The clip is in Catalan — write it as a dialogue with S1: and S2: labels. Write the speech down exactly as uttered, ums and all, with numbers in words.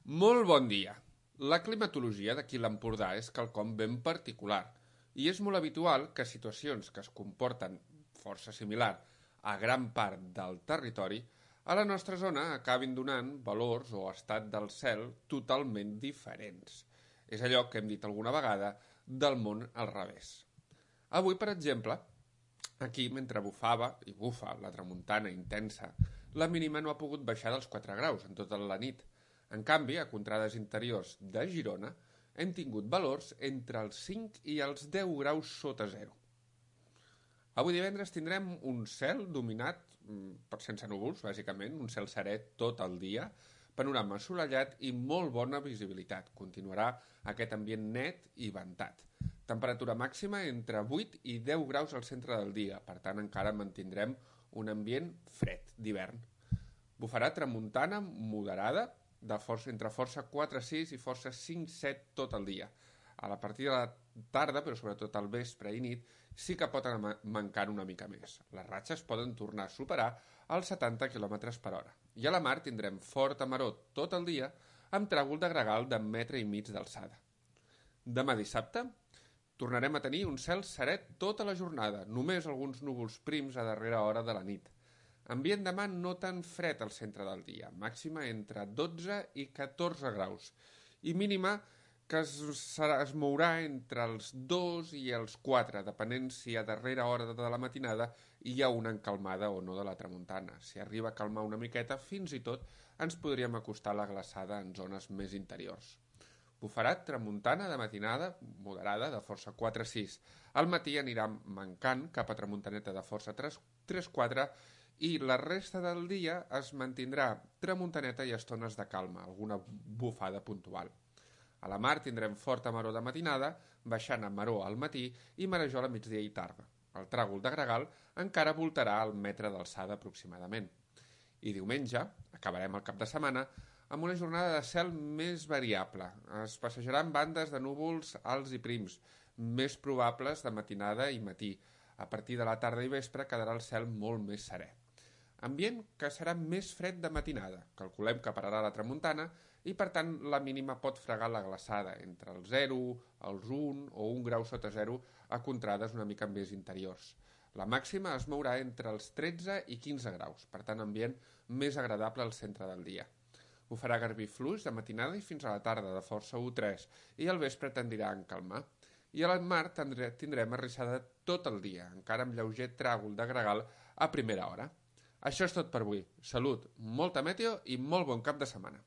S1: Molt bon dia. La climatologia d'aquí l'Empordà és quelcom ben particular i és molt habitual que situacions que es comporten força similar a gran part del territori a la nostra zona acabin donant valors o estat del cel totalment diferents. És allò que hem dit alguna vegada del món al revés. Avui, per exemple, aquí, mentre bufava i bufa la tramuntana intensa, la mínima no ha pogut baixar dels quatre graus en tota la nit. En canvi, a contrades interiors de Girona, hem tingut valors entre els cinc i els deu graus sota zero. Avui divendres tindrem un cel dominat per sense núvols, bàsicament, un cel serè tot el dia, panorama assolellat i molt bona visibilitat. Continuarà aquest ambient net i ventat. Temperatura màxima entre vuit i deu graus al centre del dia, per tant encara mantindrem un ambient fred d'hivern. Bufarà tramuntana moderada, de força, entre força quatre sis i força cinc set tot el dia. A la partir de la tarda, però sobretot al vespre i nit, sí que pot anar mancant una mica més. Les ratxes poden tornar a superar els setanta quilòmetres per hora. I a la mar tindrem forta maror tot el dia amb tràgol de gregal de metre i mig d'alçada. Demà dissabte tornarem a tenir un cel serè tota la jornada, només alguns núvols prims a darrera hora de la nit. Ambient demà no tan fred al centre del dia, màxima entre dotze i catorze graus, i mínima que es, serà, es mourà entre els dos i els quatre, depenent si a darrera hora de la matinada hi ha una encalmada o no de la tramuntana. Si arriba a calmar una miqueta, fins i tot ens podríem acostar a la glaçada en zones més interiors. Bufarà tramuntana de matinada moderada de força quatre sis. Al matí anirà mancant cap a tramuntaneta de força tres quatre i la resta del dia es mantindrà tramuntaneta i estones de calma, alguna bufada puntual. A la mar tindrem forta maror de matinada, baixant a maror al matí i marejol a migdia i tarda. El tràgol de gregal encara voltarà al metre d'alçada aproximadament. I diumenge, acabarem el cap de setmana, amb una jornada de cel més variable. Es passejaran bandes de núvols alts i prims, més probables de matinada i matí. A partir de la tarda i vespre quedarà el cel molt més serè. Ambient que serà més fred de matinada. Calculem que pararà la tramuntana i, per tant, la mínima pot fregar la glaçada entre el zero, els un o un grau sota zero a contrades una mica més interiors. La màxima es mourà entre els tretze i quinze graus, per tant, ambient més agradable al centre del dia. Ho farà garbí fluix de matinada i fins a la tarda de força u tres i al vespre tendirà a encalmar. I a la mar tindrem arrissada tot el dia, encara amb lleuger tràgol de gregal a primera hora. Això és tot per avui. Salut, molta meteo i molt bon cap de setmana.